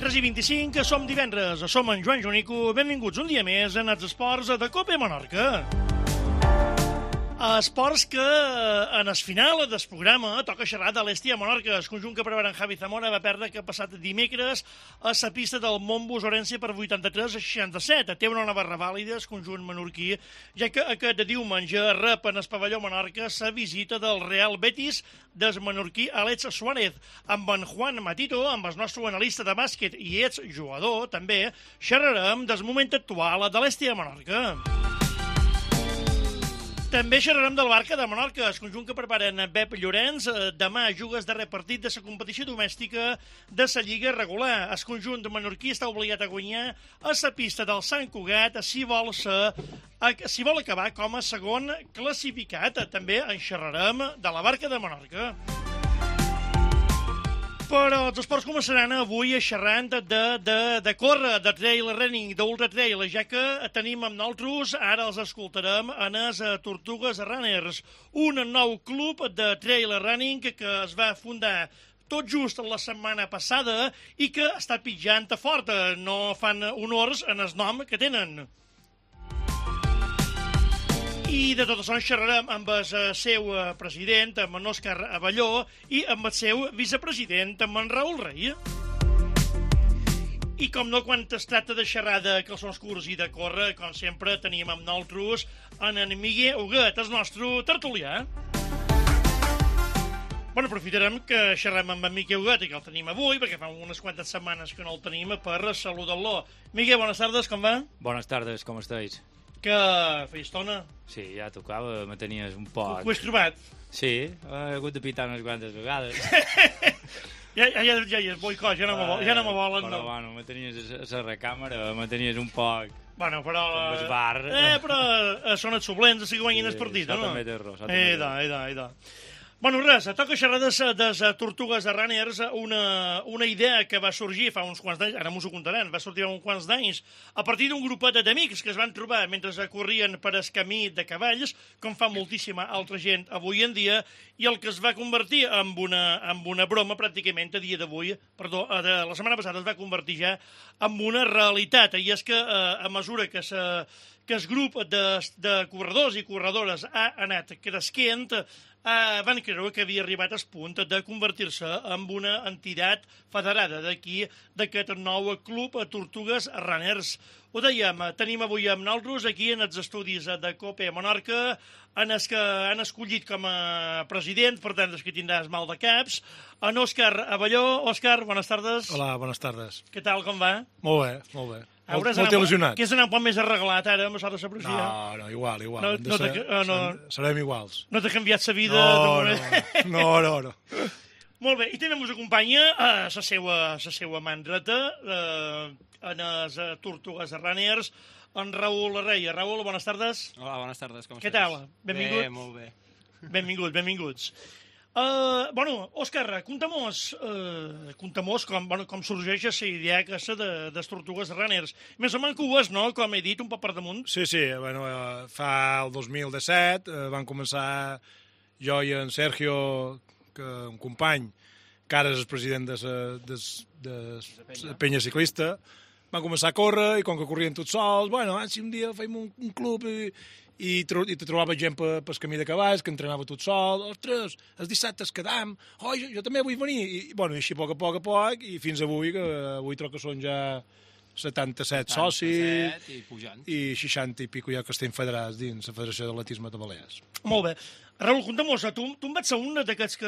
3:25, som divendres, som en Joan Jonico, benvinguts un dia més en els esports de Cope Menorca. Esports que en el final del programa toca xerrar de l'Estia Menorca. El conjunt que prepara en Javi Zamora va perdre que passat dimecres a la pista del Montbus Orense per 83-67. Té una nova revàlida el conjunt menorquí, ja que aquest diumenge rep en el pavelló Menorca la visita del Real Betis del menorquí Àlex Suárez. Amb en Juan Matito, amb el nostre analista de bàsquet i exjugador, també xerrarem del moment actual de l'Estia Menorca. També xerrarem del Barca de Menorca, el conjunt que preparen Pep Llorenç. Demà juga el darrer partit de la competició domèstica de la Lliga regular. El conjunt menorquí està obligat a guanyar a la pista del Sant Cugat si vol acabar com a segon classificat. També en xerrarem de la Barca de Menorca. Però els esports començaran avui xerrant de córrer, de trail running, d'ultra trail, ja que tenim amb nosaltres, ara els escoltarem, en els Tortugues Runners, un nou club de trail running que es va fundar tot just la setmana passada i que està pitjant fort. No fan honors en el nom que tenen. I de tot això en xerrarem amb el seu president, amb en Òscar Abelló, i amb el seu vicepresident, amb en Raül Rey. I com no, quan es tracta de xerrar de calçons curts i de córrer, com sempre, tenim amb nosaltres en Miguel Huguet, el nostre tertulià. Bueno, aprofitarem que xerrem amb en Miquel Huguet, que el tenim avui, perquè fa unes quantes setmanes que no el tenim, per saludar-lo. Miquel, bones tardes, com va? Buenas tardes, ¿cómo estáis? Que feia estona. Sí, ja tocava, me tenies un poc... Ho has trobat? Sí, he hagut de pitar unes quantes vegades. ja és boicot, ja no me volen. Però, bueno, me tenies a la recàmera, me tenies un poc... Bueno, però... Com el bar. Però són els suplents, així que guanyin el partit, no? També té raó. Eda. Bueno, res, toca xerrar de Tortugues de Runners, una idea que va sorgir fa uns quants d'anys, ara m'ho contaran, va sortir fa uns quants d'anys, a partir d'un grupet d'amics que es van trobar mentre corrien per el camí de cavalls, com fa moltíssima altra gent avui en dia, i el que es va convertir en una broma pràcticament a dia d'avui, la setmana passada es va convertir ja en una realitat, i és que a mesura que el grup de corredors i corredores ha anat creixent, van creure que havia arribat al punt de convertir-se en una entitat federada d'aquest nou club Tortugues Runners. Ho dèiem, tenim avui amb nosaltres aquí en els estudis de Cope Menorca, en els que han escollit com a president, per tant, que tindràs mal de caps, en Òscar Abelló. Òscar, bones tardes. Hola, bones tardes. Què tal, com va? Molt bé. Molt il·lusionat. Que és anar un poc més arreglat ara, amb això de la policia? No, igual. Serem iguals. No t'ha canviat la vida? No. Molt bé, i també ens acompanya la seva mandreta en les Tortugues Runners, en Raül Rey. Raül, bones tardes. Hola, bones tardes, com estàs? Què tal? Benvingut. Bé, molt bé. Benvinguts. Òscar, conta'mos com sorgeix la idea aquesta de les Tortugues Runners. Més o menys que ho és, no?, com he dit, un poc per damunt. Sí, fa el 2017 van començar jo i en Sergio, un company, que ara és el president de la penya ciclista, van començar a córrer i com que corrien tots sols, si un dia feim un club i te trobava gent pel camí de cavalls, que entrenava tot sol, ostres, els dissabtes quedam, jo també vull venir, i així a poc, i fins avui, que avui trobo que són ja 77 socis, i 60 i pico ja que estem federats dins la Federació d'Atletisme de Balears. Molt bé. Raül, conta'mos, tu en vas ser un d'aquests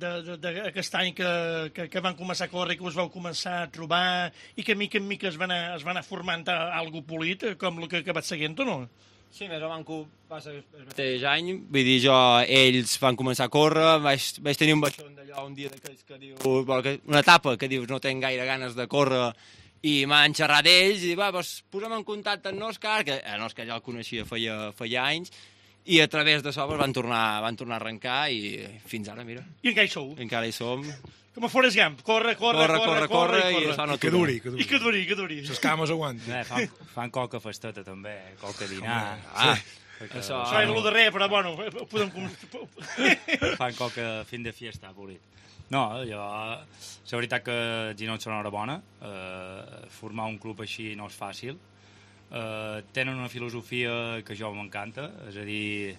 d'aquest any que van començar a córrer, que us vau començar a trobar i que mica en mica es van anar formant algo polit, com el que vaig seguint, o no? Sí, més o menys va ser el mateix any, vull dir, ells van començar a córrer, vaig tenir un baixón d'allò un dia d'aquells que diu, una etapa que dius no tenc gaire ganes de córrer, i m'han xerrat d'ells i posa'm en contacte amb l'Òscar, que l'Òscar ja el coneixia feia anys, i a través d'això van tornar a arrencar i fins ara, mira. I encara hi sou? Encara hi som. Com a Forrest Gump, corre, i això no que duri. I que duri. Les cames aguanten. Fan coca festeta, també, coca dinar. Això... Això era el darrer, però bueno, podem... Fan coca fin de fiesta, polit. No, la veritat que Ginot són enhorabona. Formar un club així no és fàcil. Tenen una filosofia que jo m'encanta, és a dir,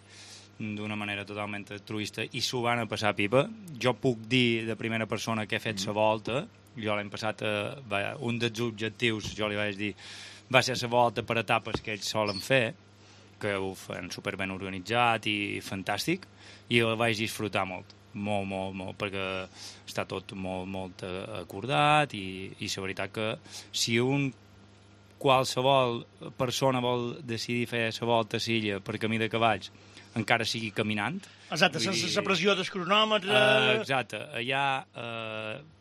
d'una manera totalment altruista, i s'ho van a passar pipa. Jo puc dir de primera persona que he fet la volta. Jo l'any passat, un dels objectius, jo li vaig dir, va ser la volta per etapes que ells solen fer, que ho fan superben organitzat i fantàstic, i el vaig disfrutar molt, molt, perquè està tot molt acordat, i la veritat que si qualsevol persona vol decidir fer la volta a l'illa per camí de cavalls, encara sigui caminant. Exacte, sense la pressió del cronòmetre... Exacte, allà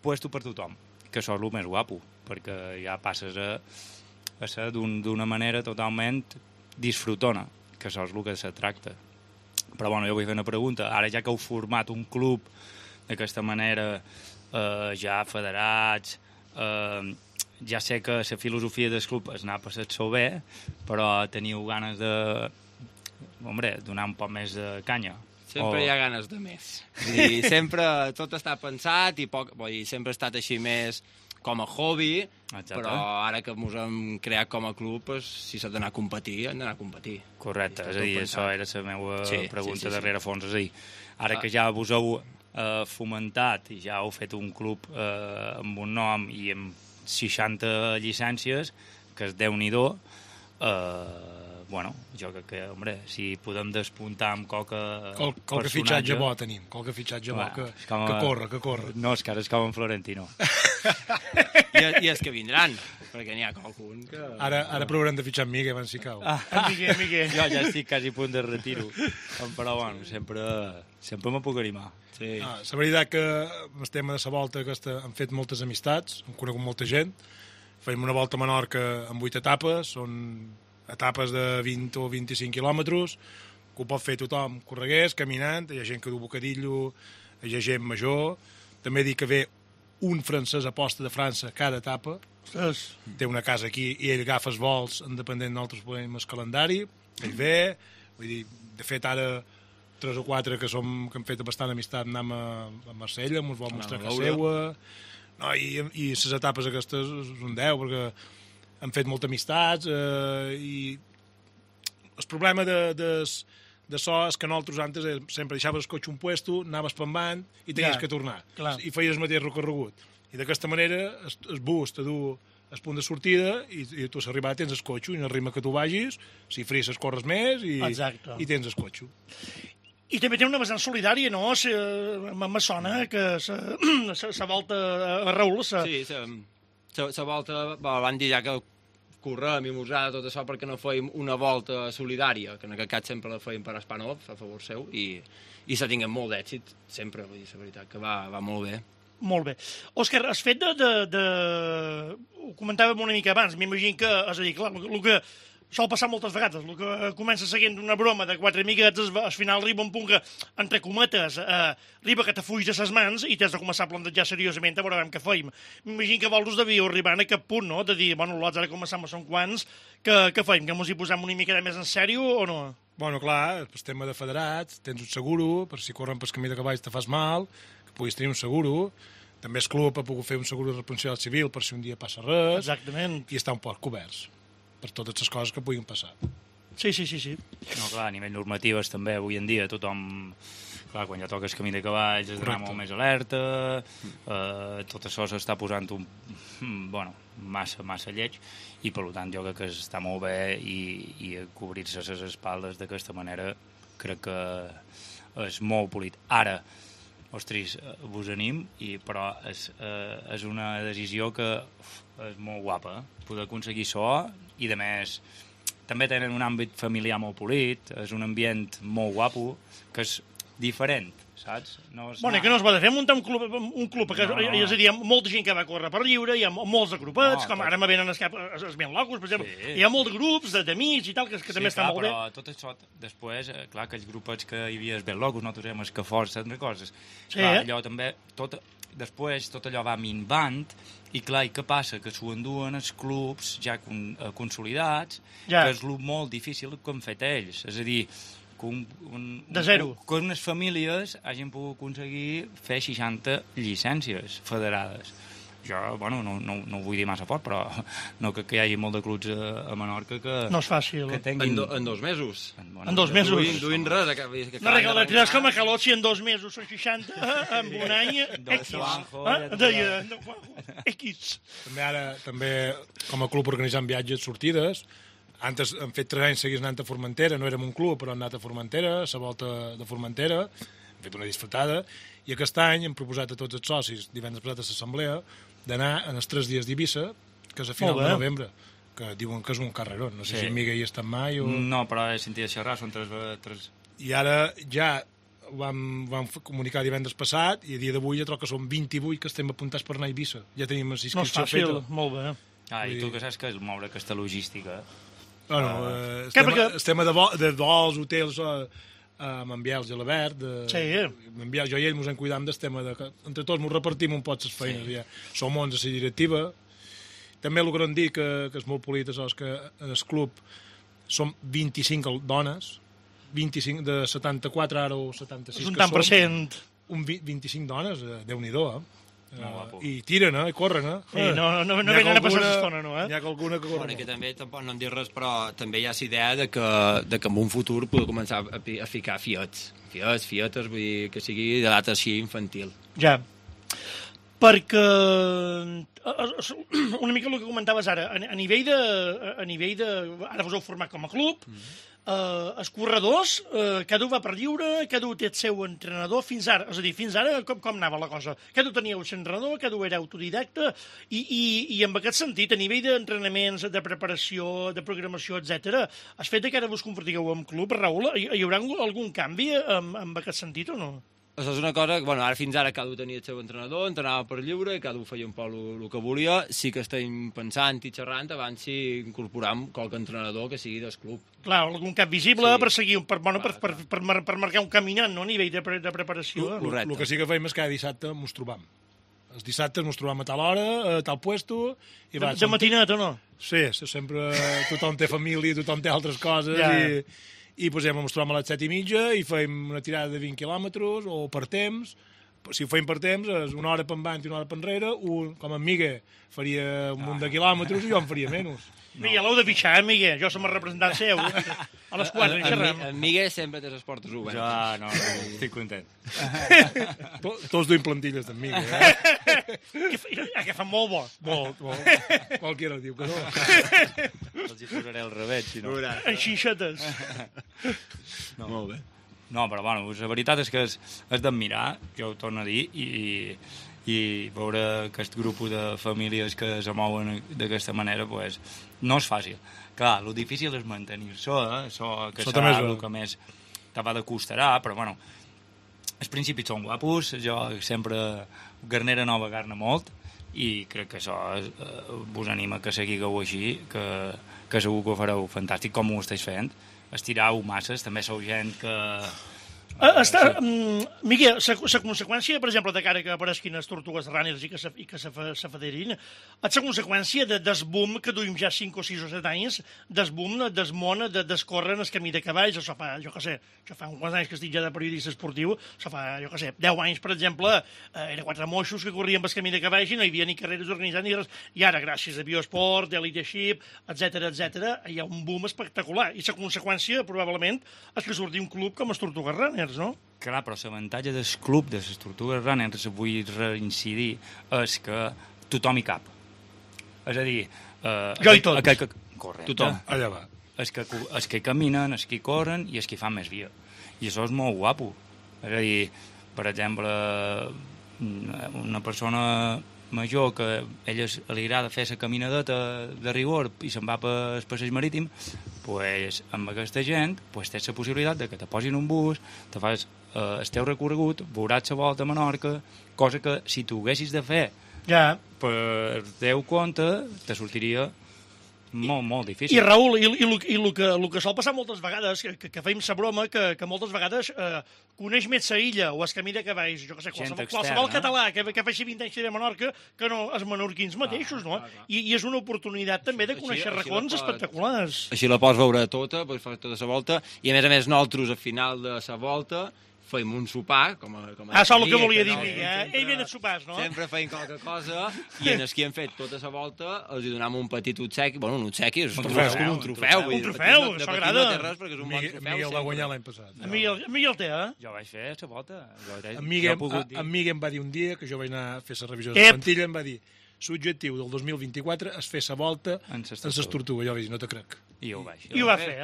puesto per tothom, que això és el més guapo, perquè ja passes a ser d'una manera totalment disfrutona, que això és el que se tracta. Però bueno, jo vull fer una pregunta. Ara ja que heu format un club d'aquesta manera, ja federats, ja sé que la filosofia del club és anar a passar-s'ho bé, però teniu ganes de donar un poc més de canya. Sempre hi ha ganes de més. I sempre tot està pensat i sempre ha estat així més com a hobby, exacte. Però ara que ens hem creat com a club, si s'ha d'anar a competir, hem d'anar a competir. Correcte, és a dir, això era la meva pregunta darrere fons. És a dir, ara que ja vos heu fomentat i ja heu fet un club amb un nom i amb 60 llicències, que és Déu-n'hi-do, jo crec que, si podem despuntar amb coca qualque fitxatge bo tenim, qualque fitxatge bo que corre. No, és que ara és com en Florentino. I els que vindran, perquè n'hi ha qualcun que... Ara provarem de fitxar en Migue, abans si cau. Migue. Jo ja estic quasi a punt de retiro, però bueno, sempre me puc animar. Sí. La veritat que el tema de la volta aquesta hem fet moltes amistats, hem conegut molta gent, fem una volta a Menorca amb 8 etapes, són etapes de 20 o 25 quilòmetres, que ho pot fer tothom corregués, caminant, hi ha gent que du bocadillo, hi ha gent major, també dic que ve un francès a posta de França cada etapa, té una casa aquí i ell agafa els vols independent nosaltres podem el calendari, ell ve, vull dir, de fet ara 3 o 4 que hem fet bastant amistat anem a Marsella, ens vol mostrar casa seua, no, i les etapes aquestes és un 10, perquè hem fet moltes amistats i el problema d'això és que nosaltres antes sempre deixaves el cotxe un puesto, anaves pembant i tenies que tornar. Clar. I feies el mateix recorregut. I d'aquesta manera el bus te du el punt de sortida i tu a l'arribada tens el cotxe i en el ritme que tu vagis, si frisses corres més i tens el cotxe. I també té una vessant solidària, no? Me sona que la volta a Raül... Sí, la volta van dir ja que correm i musar tot això perquè no fèiem una volta solidària, que en aquest cas sempre la fèiem per Espanov, a favor seu, i se tinguem molt d'èxit, sempre, vull dir, la veritat, que va molt bé. Molt bé. Òscar, has fet ho comentàvem una mica abans, m'imagino que, és a dir, clar, el que sol passar moltes vegades, el que comença seguint una broma de 4 amiguetes, al final arriba un punt que, entre cometes, arriba que te fuix de ses mans i t'has de començar a plantejar seriosament a veure què feim. M'imagino que vosaltres devíeu arribar a aquest punt, no?, de dir, bueno, lots, ara començam a són quants, què feim, que mos hi posem una mica més en sèrio o no? Bueno, clar, el tema de federats, tens un seguro, per si corren pel camí de cavalls te fas mal, que puguis tenir un seguro, també el club ha pogut fer un seguro de responsabilitat civil per si un dia passa res. Exactament. I està un poc coberts per totes les coses que puguin passar. Sí. No, clar, a nivell normatives també, avui en dia tothom... Clar, quan ja toques camí de cavalls has d'anar molt més alerta, tot això s'està posant massa lleig, i per tant jo crec que està molt bé i cobrir-se les espaldes d'aquesta manera crec que és molt polit. Ara, ostres, vos anim, però és una decisió que és molt guapa, poder aconseguir això, i de més també tenen un àmbit familiar molt polit, és un ambient molt guapo, que és diferent, saps? Bueno, que no es va fer muntar un club que és a dir, hi ha molta gent que va córrer per lliure, hi ha molts de grupets, com ara me venen els ben locos, per exemple, hi ha molts de grups d'amics i tal, que també està molt bé. Però tot això, després, clar, aquells grupets que hi havia els ben locos, nosaltres érem els que força, coses. Clar, allò també, tot després tot allò va minvant, i clar, i què passa? Que s'ho enduen els clubs ja consolidats, que és el molt difícil que han fet ells. És a dir, de zero. Que unes famílies hagin pogut aconseguir fer 60 llicències federades. Jo, bueno, no ho vull dir massa fort, però no crec que hi hagi molt de clubs a Menorca que... No és fàcil. Que tinguin... En 2 mesos. En 2 mesos. Duint res. No regalaràs com a calot si en 2 mesos són 60, en un any, X. X. També, com a club organitzant viatges, sortides. Antes hem fet 3 anys seguits anant a Formentera, no érem un club, però hem anat a Formentera, a la volta de Formentera, hem fet una disfrutada, i aquest any hem proposat a tots els socis, divendres passat a l'assemblea, d'anar en els 3 dies d'Eivissa, que és a final de novembre, que diuen que és un carreró. No sé si en Miguel hi ha estat mai o... No, però he sentit xerrar, són 3... I ara ja vam comunicar divendres passat, i a dia d'avui ja troc que són 28 que estem apuntats per anar a Eivissa. Ja tenim la inscripció feta. No és fàcil, molt bé. I tu que saps que és moure aquesta logística... Bueno, estem de vols, hotels amb en Biel i l'Albert. En Biel, jo i ell ens en cuidam del tema de que entre tots ens repartim un pot les feines. Ja. Som 11 a la directiva. També el que no hem dit, que és molt polit, és que en el club som 25 dones, 25 de 74 ara o 76 és un tant per cent. 25 dones, Déu-n'hi-do, i tiren, i corren, no venen a passar l'estona, no, N'hi ha alguna que corre. Bueno, que també, tampoc no em dir res, però també hi ha la idea de que en un futur pugui començar a ficar fietes, vull dir, que sigui de data així infantil. Ja. Perquè una mica el que comentaves ara, a nivell de ara vos heu format com a club, els corredors, cada un va per lliure, cada un té el seu entrenador, fins ara, és a dir, fins ara com anava la cosa? Cada un tenia el seu entrenador, cada un era autodidacta, i en aquest sentit, a nivell d'entrenaments, de preparació, de programació, etc., has fet que ara vos convertigueu en club, Raül, hi haurà algun canvi en aquest sentit o no? Això és una cosa que, ara fins ara cada un tenia el seu entrenador, entrenava per lliure, cada un feia un poc el que volia. Sí que estem pensant i xerrant abans si incorporam qualque entrenador que sigui del club. Clar, algun cap visible per seguir, per marcar un caminant, no?, a nivell de preparació. El que sí que fem és cada dissabte ens trobam. Els dissabtes ens trobam a tal hora, a tal puesto... De matinat o no? Sí, sempre tothom té família, tothom té altres coses i posem, ens trobem a les 7:30 i fem una tirada de 20 quilòmetres o per temps. Si ho fem per temps és una hora per endavant i una hora per enrere. Com en Miguel faria un munt de quilòmetres i jo en faria menys. Miguel, l'heu de pixar, Miguel. Jo som el representant seu. A les 4 xerrem. En Miguel sempre té les portes obertes. Jo no, estic content. Tots duim plantilles d'en Miguel, Que fa molt bo. Molt. Qualquiera diu que no. Els hi posaré el revés, si no. En xinxetes. Molt bé. No, però bueno, la veritat és que és d'admirar, jo ho torno a dir, i veure aquest grup de famílies que se mouen d'aquesta manera, pues, no és fàcil. Clar, el difícil és mantenir-se, que serà el que més te va de costarà, però bueno, els principis són guapos, jo sempre Garnera Nova garna molt, i crec que això vos anima que seguigueu així, que segur que ho fareu fantàstic, com ho esteu fent. Estirau masses, també sou gent que... Miguel, la conseqüència, per exemple, de cara que apareixin les tortugues runners i que se federin, és la conseqüència del boom que duim ja 5 o 6 o 7 anys, del boom del món d'escórrer en el camí de cavalls. Això fa, jo què sé, uns quants anys que estic ja de periodista esportiu, això fa, jo què sé, 10 anys, per exemple, eren 4 moixos que corrien pel camí de cavalls i no hi havia ni carreres organitzades ni res. I ara, gràcies a Biosport, Eliteship, etc., hi ha un boom espectacular. I la conseqüència, probablement, és que surti un club com els Tortugues Runners, no? Clar, però l'avantatge del club de les Tortugues Runners, vull reincidir, és que tothom hi cap. És a dir... Jo i tots. Correcte. Tothom, allà va. Els que caminen, els que corren i els que fan més via. I això és molt guapo. És a dir, per exemple, una persona major que a ella li agrada fer la caminadeta de rigor i se'n va pel passeig marítim, pues, amb aquesta gent pues, tens la possibilitat de que te posin un bus, te fas el teu recorregut, veuràs la volta a Menorca, cosa que si tu ho haguessis de fer per teu compte te sortiria molt difícil. I Raül, i el que sol passar moltes vegades, que feim sa broma, que moltes vegades coneix més sa illa o es camí de cavalls, jo què sé, qualsevol català que faci 20 anys de Menorca que no els menorquins mateixos, no? I és una oportunitat també de conèixer racons espectaculars. Així la pots veure tota, pots fer tota la volta, i a més nosaltres al final de la volta feim un sopar, com a el que volia dir, ell ve de sopars, no? Sempre feim qualque cosa, i en els que hem fet tota la volta els hi donam un petit obsequi, bueno, un obsequi, és un trofeu. Un trofeu, això agrada. No té res, perquè és un bon trofeu. Miguel va guanyar l'any passat. Miguel té, eh? Jo vaig fer la volta. En Miguel em va dir un dia, que jo vaig anar a fer la revisió de la plantilla, em va dir l'objectiu del 2024 és fer la volta en les tortugues. Jo vaig dir, no te crec. I ho vaig fer. I ho va fer,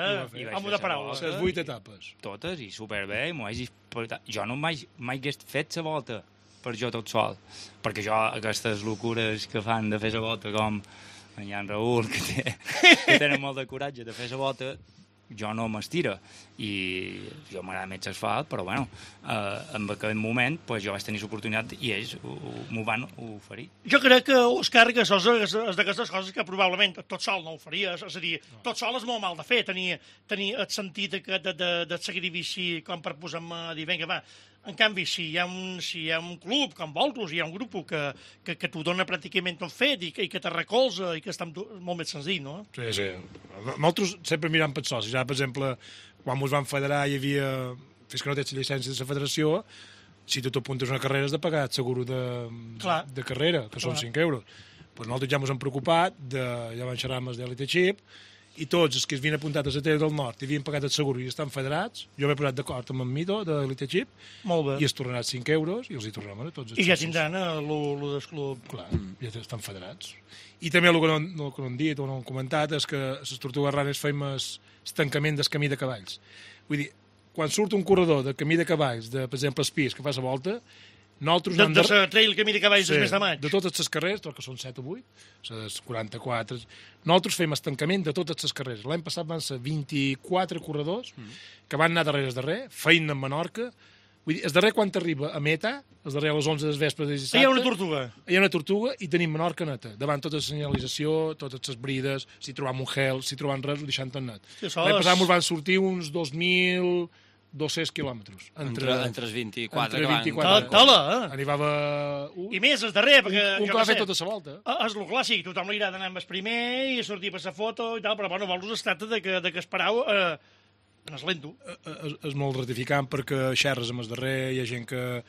home de paraula. Les 8 etapes. Totes, i superbé, i m'ho vaig disfrutar. Jo no mai hagués fet la volta per jo tot sol, perquè jo aquestes locures que fan de fer la volta, com en Jan Raül, que tenen molt de coratge de fer la volta, jo no m'estira, i jo m'agrada més l'asfalt, però bueno, en aquell moment pues, jo vaig tenir l'oportunitat i ells m'ho van oferir. Jo crec que, Òscar, que això és d'aquestes coses que probablement tot sol no ho faries, és a dir, tot sol és molt mal de fer, tenir el sentit de sacrifici com per posar-me a dir, vinga, va. En canvi, si hi ha un club com vosaltres, hi ha un grup que t'ho dona pràcticament tot fet i que te recolza i que està molt més senzill, no? Sí. Nosaltres sempre mirem per socis. Ja, per exemple, quan ens vam federar hi havia, fins que no tens llicència de la federació, si tu t'apuntes a una carrera has de pagar el seguro de carrera, que són 5 euros. Pues nosaltres ja ens hem preocupat, ja vam xerrar amb els d'Elite Chip, i tots els que es havien apuntat a la Tele del Nord i havien pagat el seguro i estan federats, jo m'he posat d'acord amb en Mido, de l'Elite Chip, i es tornaran 5 euros i els hi tornem a tots els I ja tindran lo del club. Clar, ja estan federats. I també el que no hem dit o no hem comentat és que a les Tortugues Ranes feim el tancament del camí de cavalls. Vull dir, quan surt un corredor de camí de cavalls, per exemple, Espís, que fa la volta, nosaltres de la trail camí de cavalls del mes de maig. De totes les carreres, que són 7 o 8, les 44, nosaltres fem estancament de totes les carreres. L'any passat van ser 24 corredors que van anar darrere, feina en Menorca. Vull dir, el darrer quan t'arriba a meta, el darrer a les 11 del vespre de dissabte... Hi ha una tortuga. Hi ha una tortuga i tenim Menorca neta. Davant tota la senyalització, totes les brides, si trobam un gel, si trobam res, ho deixant tot net. L'any passat ens van sortir uns 2.200 quilòmetres. Entre els 24 que van... Tola, Arribava... I més, el darrer, perquè... Un que va fer tota la volta. És el clàssic, tothom li agrada anar amb el primer i sortir per la foto i tal, però bueno, vols es tracta de que esperau en el lento. És molt gratificant perquè xerres amb el darrer, hi ha gent que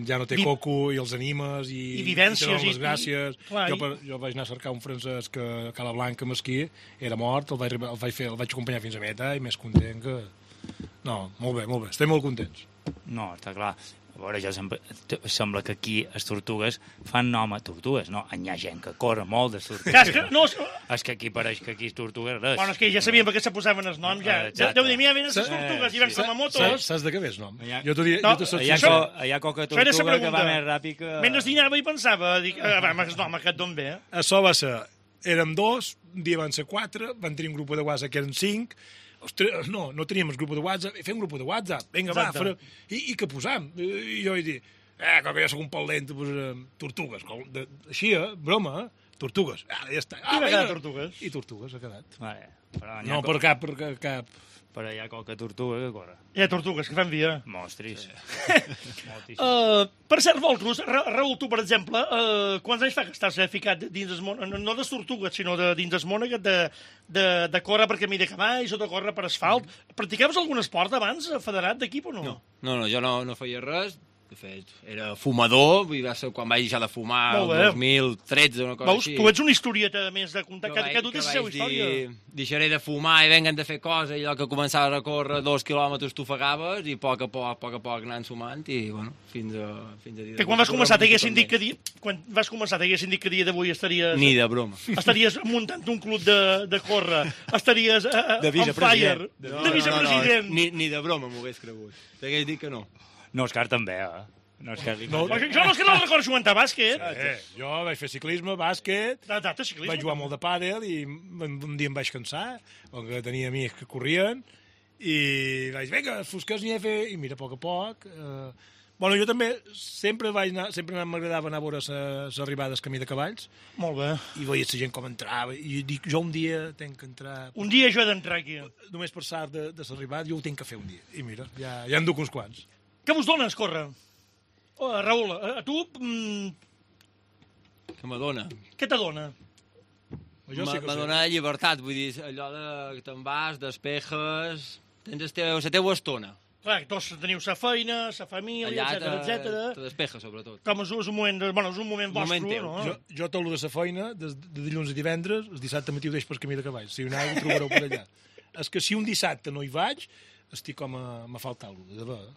ja no té coco i els animes i vivències i les gràcies. Jo vaig anar a cercar un francès que a Cala Blanca Mesquí era mort, el vaig acompanyar fins a meta i més content que... No, molt bé, estem molt contents. No, està clar. A veure, sembla que aquí les tortugues fan nom a tortugues, no? Hi ha gent que corre molt de tortugues. És que aquí pareix que aquí és tortugues res. Bueno, és que ja sabíem per què se posaven els noms, ja. Deu dir, mira, venen les tortugues i van com a motos. Saps de què ve el nom? Hi ha coca tortuga que va més ràpid que... Mentre dinava i pensava, dic, home, aquest d'on ve? Això va ser, érem 2, un dia van ser 4, van tenir un grup de WhatsApp que eren 5, no teníem el grup de WhatsApp, fem un grup de WhatsApp, vinga, va, i què posam? I jo vaig dir, com que jo soc un pal lent, tortugues, així, broma, tortugues, ja està. I va quedar tortugues. I tortugues ha quedat. No, per cap. Però hi ha qualque tortuga que corre. Hi ha tortugues que fan via. Mostris. Per cert, vosaltres, Raül, tu, per exemple, quants anys fa que estàs ficat dins el món, no de tortugues, sinó dins el món aquest de córrer per camí de cavalls o de córrer per asfalt? Practicaves algun esport abans, federat d'equip o no? No, jo no feia res. De fet, era fumador, va ser quan vaig deixar de fumar el 2013 o una cosa així. Tu ets una historieta més de contar, que dutes la seva història. Deixaré de fumar i vengan de fer coses, i allò que començava a córrer 2 quilòmetres t'ofegaves i a poc a poc anant sumant i, bueno, fins a dia... Que quan vas començar t'haguessin dit que dia d'avui estaries... Ni de broma. Estaries muntant un club de córrer, estaries on fire, de vicepresident. Ni de broma m'ho hagués cregut. T'hagués dit que no. No, Òscar també, Jo no és que no recordo jugant a bàsquet. Jo vaig fer ciclisme, bàsquet, vaig jugar molt de pàdel i un dia em vaig cansar, perquè tenia amics que corrien, i vaig, vinga, fosques n'hi he fet, i mira, a poc Bueno, jo també sempre m'agradava anar a veure les arribades camí de cavalls Molt bé. i veia la gent com entrava i dic, jo un dia tenc que entrar... Un dia jo he d'entrar aquí. Només per sort de l'arribada, jo ho tinc que fer un dia. I mira, ja en duc uns quants. Què vos dones, córrer? Raül, a tu Que m'adona. què te dona? Jo sí que ho sé. M'adona llibertat, vull dir, allò que te'n vas, despejes... Tens la teua estona. Clar, tots teniu sa feina, sa família, etc. te despejes, sobretot. Com és un moment, és un moment vostre, moment teu. no? Jo tot el de la feina, de dilluns a divendres, el dissabte matí ho deixo per camí de cavalls. Si aneu, ho trobareu per allà. És que si un dissabte no hi vaig, estic com me falta alguna cosa.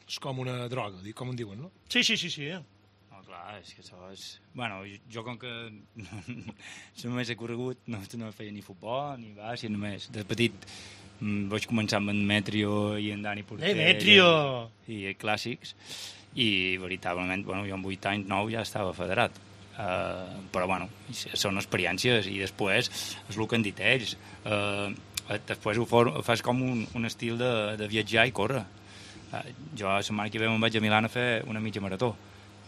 És com una droga, com en diuen, no? Sí. No, clar, és que això és... Bueno, jo com que només he corregut, no feia ni futbol, ni bàsquet, només. De petit vaig començar amb en Metrio i en Dani Porter. Metrio! I clàssics. I veritablement, bueno, jo amb 8 anys, 9 ja estava federat. Però, bueno, són experiències i després és el que han dit ells. Després ho fas com un estil de viatjar i córrer. Jo la setmana que ve me'n vaig a Milà a fer una mitja marató.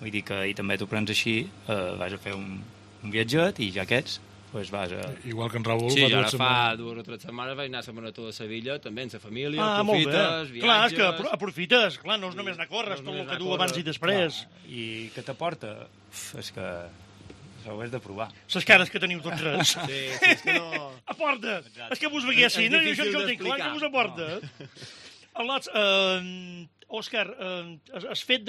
Vull dir que i també t'ho prens així, vas a fer un viatget i ja aquests pues vas a... Igual que en Raül... Sí, jo ara fa 2 o 3 setmanes vaig anar a la marató de Sevilla, també amb la família, aprofites, viatges... Clar, és que aprofites, clar, no és només anar a córrer, és tot el que du abans i després. I què t'aporta? És que això ho has de provar. Les cares que teniu tots tres. Sí, és que no... Aporta! És que vos veguessin, no? Jo ho tinc clar, que vos aporta. Òscar, has fet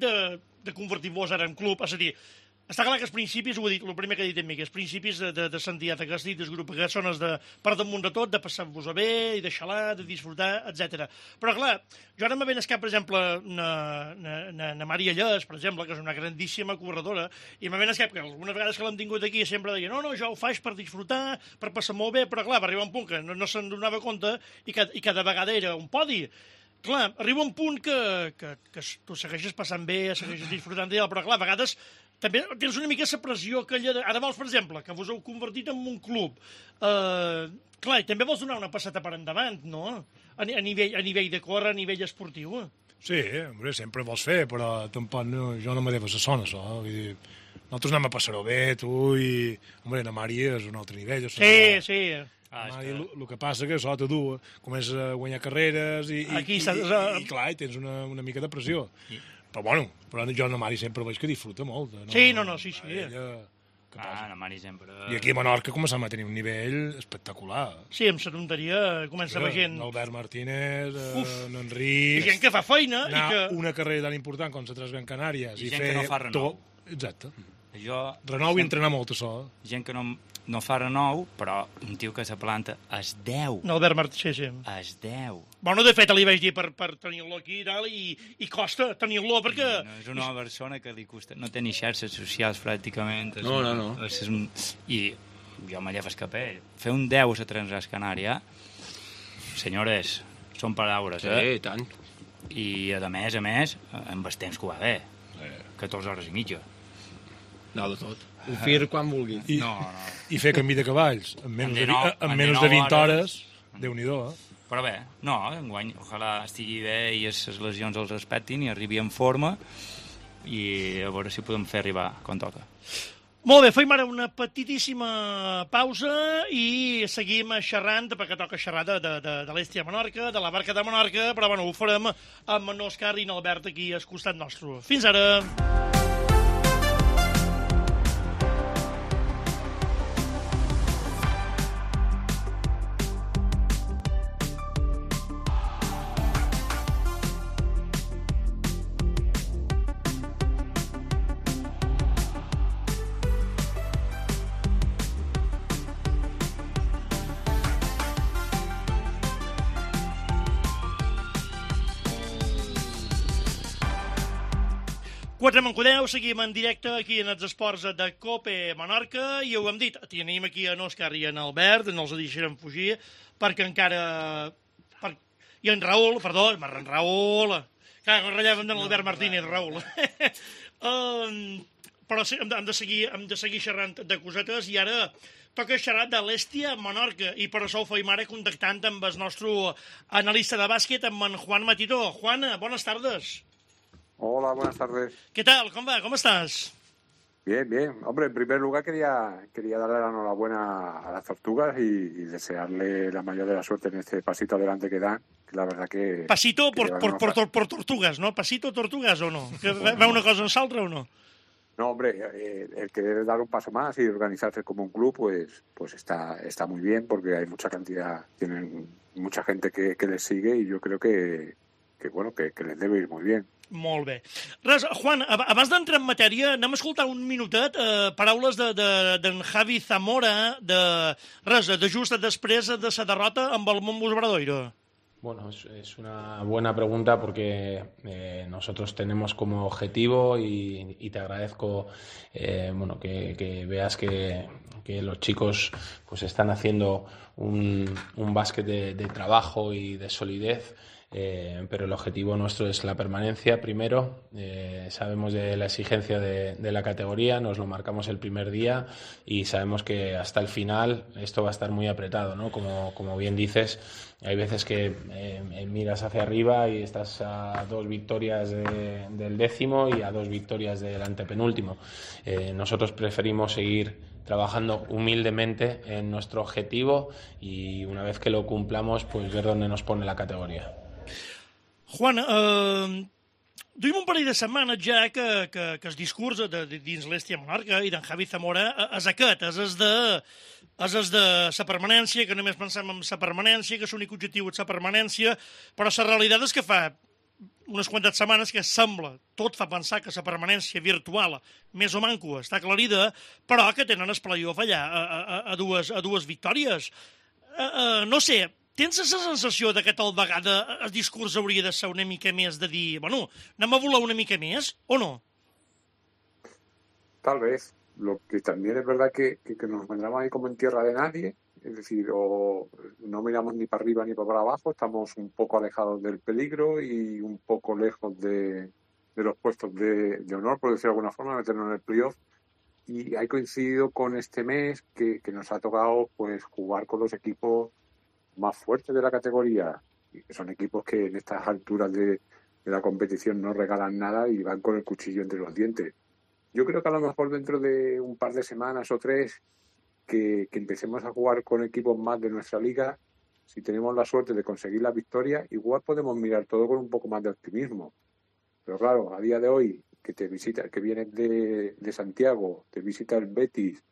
de convertir-vos ara en club, és a dir, està clar que els principis, ho he dit, el primer que he dit a mi, que els principis de sentiat que has dit, del grup que són els de per damunt de tot, de passar-vos-a bé, i de xalar, de disfrutar, etc. Però clar, jo ara me ven cap, per exemple, na Maria Lles, per exemple, que és una grandíssima corredora, i me ven cap que algunes vegades que l'hem tingut aquí sempre deia, no, jo ho faig per disfrutar, per passar molt bé, però clar, va arribar un punt que no se'n donava compte i cada vegada era un podi. Clar, arriba un punt que tu segueixes passant bé, segueixes disfrutant d'ell, però clar, a vegades també tens una mica la pressió aquella de... Ara vols, per exemple, que vos heu convertit en un club. Clar, i també vols donar una passeta per endavant, no? A nivell de córrer, a nivell esportiu. Sí, hombre, sempre vols fer, però tampoc jo no me deves a son, això. Vull dir, nosaltres anem a passar-ho bé, tu, i... Hombre, la Mari és un altre nivell. Sí. El que passa que això te du, comences a guanyar carreres i clar, i tens una mica de pressió. Però bueno, jo a la Mari sempre veig que disfruta molt. Sí. La Mari sempre... I aquí a Menorca començam a tenir un nivell espectacular. Sí, amb la tonteria comença la gent... L'Albert Martínez, l'Enric... I gent que fa feina i que... Una carrera tan important com la Transgran Canàries i gent que no fa renou. Exacte. Renou i entrenar molt, això. Gent que no fa renou, però un tio que se planta es 10. No, Albert Martínez, sí. Es 10. Bueno, de fet, li vaig dir per tenir-lo aquí i tal, i costa tenir-lo, perquè... No, és una persona que li costa... No té ni xarxes socials, pràcticament. No. I jo me lleves cap ell. Fer un 10 a la Transgran Canària, senyores, són paraules, Sí, tant. I, a més, amb el temps que ho va bé. 14 hores i mitja. No, de tot. Ho fir quan vulguis. I fer camí de cavalls en menys de 20 hores, Déu-n'hi-do, Però bé, enguany, ojalà estigui bé i les lesions els respectin i arribi en forma i a veure si podem fer arribar quan toca. Molt bé, fem ara una petitíssima pausa i seguim xerrant, perquè toca xerrar de l'Estia de Menorca, de la Barca de Menorca, però bueno, ho farem amb en Òscar i en Albert aquí al costat nostre. Fins ara! Quatre Mancodeu, seguim en directe aquí en els esports de COPE Menorca i ho hem dit, tenim aquí en Òscar i en Albert, no els deixarem fugir, perquè encara... I en Raül, perdó, en Raül... Clar, rellevem de l'Albert Martínez, Raül. Però sí, hem de seguir xerrant de cosetes i ara toca xerrar de l'Hèstia Menorca, i per això ho feim ara contactant amb el nostre analista de bàsquet, amb en Juan Matito. Juan, bones tardes. Hola, buenas tardes. ¿Qué tal? ¿Cómo va? ¿Cómo estás? Bien, bien. Hombre, en primer lugar quería darle la enhorabuena a las Tortugas y desearle la mayor de la suerte en este pasito adelante que dan. Que la verdad que... Pasito por tortugas, ¿no? Pasito tortugas o no? Que va una cosa en l'altra o no? No, hombre, el querer dar un paso más y organizarse como un club, pues está muy bien, porque hay mucha cantidad, tienen mucha gente que les sigue, y yo creo que les debe ir muy bien. Molt bé. Res, Juan, abans d'entrar en matèria, anem a escoltar un minutet paraules d'en Javi Zamora, de just després de la derrota amb el Montbus Obradoiro. Bueno, es una buena pregunta porque nosotros tenemos como objetivo y te agradezco que veas que los chicos pues están haciendo un básquet de trabajo y de solidez. Pero el objetivo nuestro es la permanencia primero. Sabemos de la exigencia de la categoría, nos lo marcamos el primer día y sabemos que hasta el final esto va a estar muy apretado, ¿no? Como bien dices, hay veces que miras hacia arriba y estás a 2 victorias del 10º y a 2 victorias del antepenúltimo. Nosotros preferimos seguir trabajando humildemente en nuestro objetivo y una vez que lo cumplamos, pues ver dónde nos pone la categoría. Juan, duim un parell de setmanes ja que el discurs dins l'Hèstia Menorca i d'en Javi Zamora és aquest, és de la permanència, que només pensem en la permanència, que l'únic objectiu és la permanència, però la realitat és que fa unes quantes setmanes que sembla, tot fa pensar que la permanència virtual, més o manco, està aclarida, però que tenen el playoff allà a dues victòries. No sé, tens la sensació que tal vegada el discurs hauria de ser una mica més de dir, bueno, anem a volar una mica més, o no? Tal vez. Lo que también es verdad que nos encontramos ahí como en tierra de nadie, es decir, o no miramos ni para arriba ni para abajo, estamos un poco alejados del peligro y un poco lejos de los puestos de honor, por decirlo de alguna forma, meternos en el playoff. Y ha coincidido con este mes que nos ha tocado pues jugar con los equipos más fuertes de la categoría, y que son equipos que en estas alturas de la competición no regalan nada y van con el cuchillo entre los dientes. Yo creo que a lo mejor dentro de un par de semanas o 3 que empecemos a jugar con equipos más de nuestra liga, si tenemos la suerte de conseguir la victoria, igual podemos mirar todo con un poco más de optimismo. Pero claro, a día de hoy, que vienes de Santiago, te visita el Betis,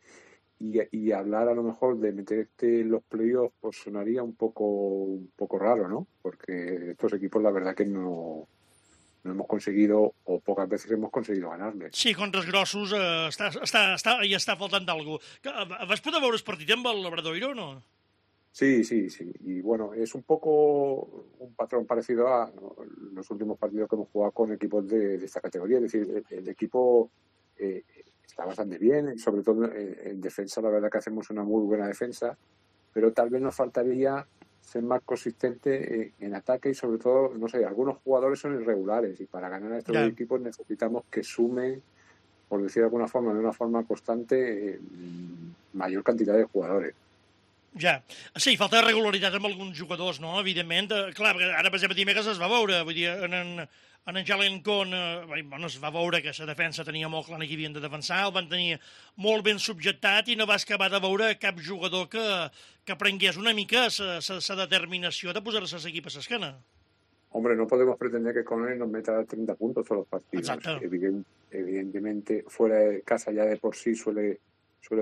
y hablar a lo mejor de meterte en los playoffs pues sonaría un poco raro, ¿no? Porque estos equipos la verdad que no hemos conseguido, o pocas veces hemos conseguido ganarles. Sí, contra els grossos hi està faltant alguna cosa. Vas poder veure el partit amb el Obradoiro o no? Sí. Y bueno, es un poco un patrón parecido a los últimos partidos que hemos jugado con equipos de esta categoría. Es decir, el equipo está bastante bien, sobre todo en defensa. La verdad que hacemos una muy buena defensa, pero tal vez nos faltaría ser más consistente en ataque y sobre todo, no sé, algunos jugadores son irregulares y para ganar a estos equipos necesitamos que sumen, por decir de alguna forma, de una forma constante, mayor cantidad de jugadores. Ja. Sí, falta regularitat amb alguns jugadors, no? Evidentment. Clar, ara, per exemple, dimecres es va veure, vull dir, en Jalen Con, es va veure que la defensa tenia molt clar que havien de defensar, el van tenir molt ben subjectat i no vas acabar de veure cap jugador que prengués una mica la determinació de posar-se l'equip a l'esquena. Hombre, no podemos pretender que Conner nos meta 30 puntos todos los partidos. Exacto. Evidentemente, fuera de casa ya de por sí suele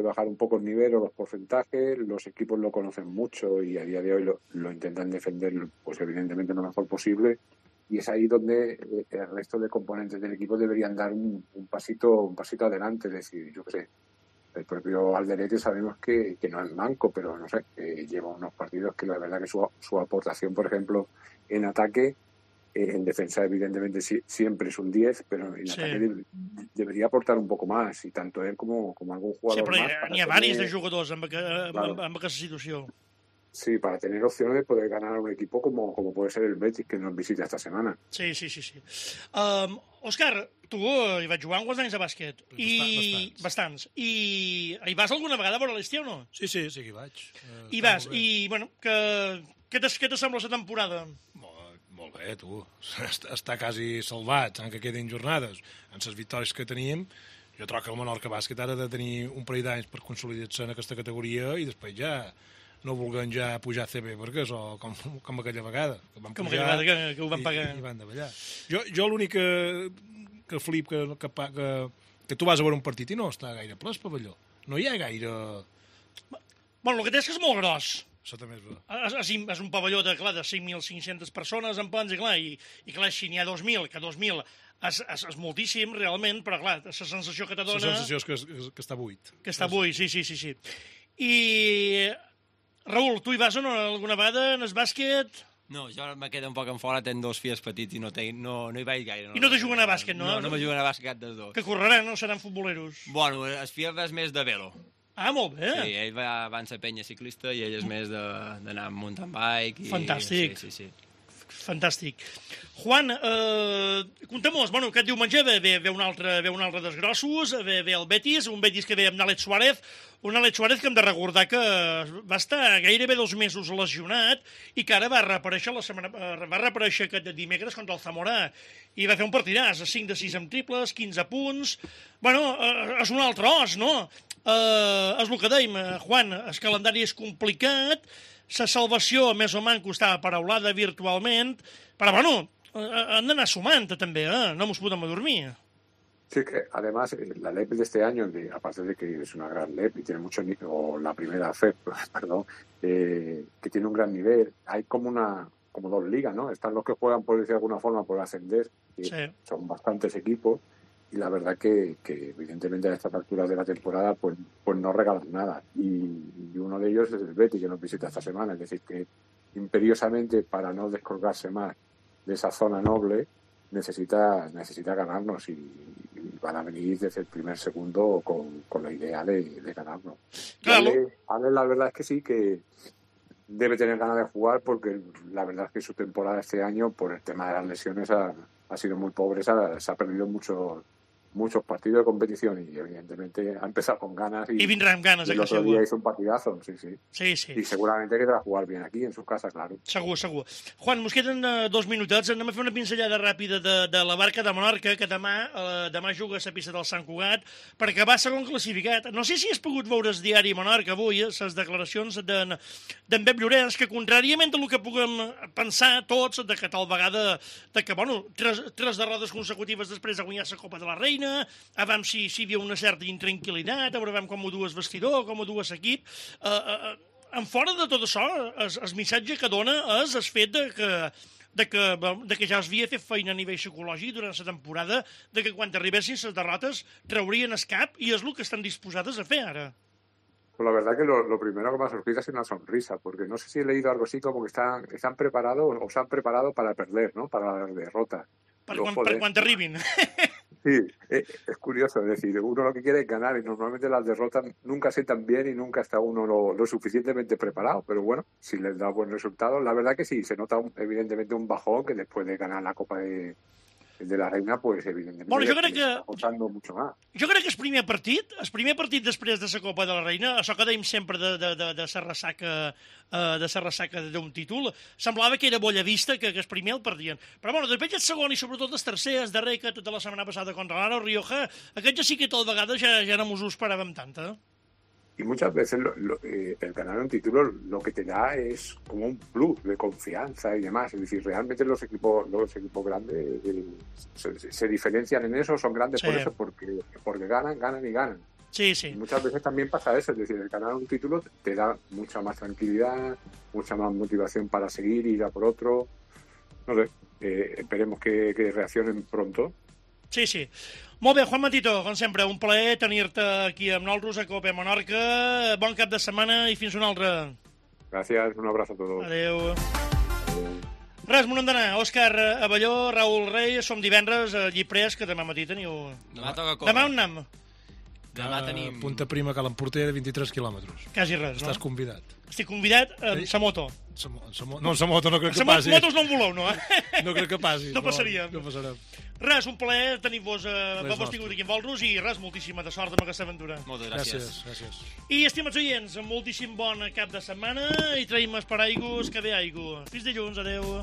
bajar un poco el nivel o los porcentajes, los equipos lo conocen mucho y a día de hoy lo intentan defender pues evidentemente lo mejor posible, y es ahí donde el resto de componentes del equipo deberían dar un pasito adelante. Es decir, yo qué sé, el propio Alderete sabemos que no es manco, pero no sé, lleva unos partidos que la verdad que su aportación, por ejemplo, en ataque, en defensa evidentemente siempre es un 10, pero en ataque debería aportar un poco más, y tanto él como algún jugador sí, però más. N'hi ha diversos de jugadors amb aquesta situació. Sí, para tener opciones de poder ganar a un equipo como puede ser el Betis, que nos visita esta semana. Sí. Òscar, tu hi vaig jugar quants anys de bàsquet? Bastants. I hi vas alguna vegada a veure l'Estia o no? Sí que hi vaig. Hi vas, i, bueno, què te sembla la temporada? Molt bé, tu. Està quasi salvat, encara que quedin jornades. En les victòries que teníem, jo trobo que el Menorca Bàsquet ha de tenir un parell d'anys per consolidar-se en aquesta categoria i després ja no vulguem ja pujar a CB, perquè és com aquella vegada. Com aquella vegada que ho van pagar. I van davallar. Jo l'únic que flip que tu vas a veure un partit i no està gaire ple el pavelló. No hi ha gaire... Bueno, el que té és que és molt gros. Això també és bo. És un pavelló de 5.500 persones en plans, i clar, si n'hi ha 2.000, que 2.000 és moltíssim, realment, però clar, la sensació que te dona... La sensació és que està buit. Que està buit, sí. I... Raül, tu hi vas o no alguna vegada en el bàsquet? No, jo me quedo un poc en fora, tenc 2 fills petits i no hi vaig gaire. I no te juguen a bàsquet, no? No me juguen a bàsquet cap dels dos. Que correran, no? Seran futboleros. Bueno, el fill és més de velo. Ah, molt bé. Sí, ell va ser penya ciclista i ell és més d'anar amb mountain bike. Fantàstic. Sí. Fantàstic. Juan, contem-nos, bueno, aquest diumenge ve un altre dels grossos, ve el Betis, un Betis que ve amb Alex Suárez, un Alex Suárez que hem de recordar que va estar gairebé 2 mesos lesionat i que ara va reaparèixer aquest dimecres contra el Zamora i va fer un partidàs, 5 de 6 amb triples, 15 punts... Bueno, és un altre os, no? És el que dèiem, Juan, el calendari és complicat, la salvació més o menys estava paraulada virtualment, però bueno, han d'anar sumant també, no ens podem adormir. Sí, que además la LEP de este año, aparte de que es una gran LEP y tiene mucho nivel, o la primera FEP, perdón, que tiene un gran nivel, hay como 2 ligas, ¿no? Están los que juegan, por decir de alguna forma, por ascender, que sí. Son bastantes equipos, y la verdad que evidentemente a estas alturas de la temporada pues no regalan nada. Y uno de ellos es el Betis, que nos visita esta semana, es decir, que imperiosamente, para no descolgarse más de esa zona noble, necesita ganarnos y van a venir desde el primer segundo con la idea de ganarnos. Claro. Ale, la verdad es que sí, que debe tener ganas de jugar, porque la verdad es que su temporada este año, por el tema de las lesiones, ha sido muy pobre, se ha perdido muchos partidos de competición y evidentemente ha empezado con ganas y vindrà amb ganes. El otro día hizo un partidazo, sí. Sí. Y seguramente quedará jugar bien aquí, en su casa, claro. Segur. Juan, mos queden 2 minutets. Anem a fer una pinzellada ràpida de la Barca de Menorca, que demà juga a la pista del Sant Cugat, perquè va segon classificat. No sé si has pogut veure el diari Menorca avui, les declaracions d'en Pep Llorenç, que contràriament del que puguem pensar tots, de que tal vegada, bueno, tres derrotes consecutives després de guanyar la Copa de la Reina, a veure si hi havia una certa intranquil·litat, a veure com ho dues vestidor, com ho dues equip. En fora de tot això, el missatge que dona és el fet de que ja es havia fet feina a nivell psicològic durant la temporada, de que quan arribessin les derrotes traurien el cap, i és el que estan disposades a fer ara. Pues la verdad que lo primero que me ha surgido es una sonrisa, porque no sé si he leído algo así como que están preparados o se han preparado para perder, ¿no? Para las derrotas. Per quan t'arribin. Sí, es curioso, es decir, uno lo que quiere es ganar y normalmente las derrotas nunca sientan bien y nunca está uno lo suficientemente preparado, pero bueno, si les da buen resultado, la verdad que sí, se nota evidentemente un bajón que después de ganar la Copa de la Reina, pues evidentemente està costando mucho más. Jo crec que el primer partit després de la Copa de la Reina, això que dèiem sempre de la ressaca d'un títol, semblava que era bolla vista, que el primer el perdien. Però bueno, després el segon i sobretot el tercer, el darrer, que tota la setmana passada contra l'Aro Rioja, aquest ja sí que tal vegada ja no mos ho esperàvem tant, Y muchas veces el ganar un título lo que te da es como un plus de confianza y demás. Es decir, realmente los equipos grandes se diferencian en eso, son grandes por eso, porque ganan y ganan. Sí. Y muchas veces también pasa eso, es decir, el ganar un título te da mucha más tranquilidad, mucha más motivación para seguir, ir a por otro. No sé, esperemos que reaccionen pronto. Sí. Molt bé, Juan Matito, com sempre, un plaer tenir-te aquí amb nosaltres a Copa Menorca. Bon cap de setmana i fins una altra. Gracias, un abrazo a todos. Adéu. Res, m'ho hem d'anar. Òscar Abelló, Raül Rey, som divendres a Lliprés, que demà matí teniu... Demà toca córrer. Demà on anem? Demà tenim... Punta Prima, Cal Emporter, 23 quilòmetres. Quasi res, no? Estàs convidat. Estic convidat amb sa moto. No, en sa moto no crec que passis. Motos no en voleu, no? No crec que passis. No passaria. No passarem. Res, un plaer tenir-vos tingut aquí amb vosaltres i res, moltíssima de sort amb aquesta aventura. Moltes gràcies. Gràcies. I, estimats oients, moltíssim bon cap de setmana i traïm per aigües que ve aigua. Fins dilluns, adeu.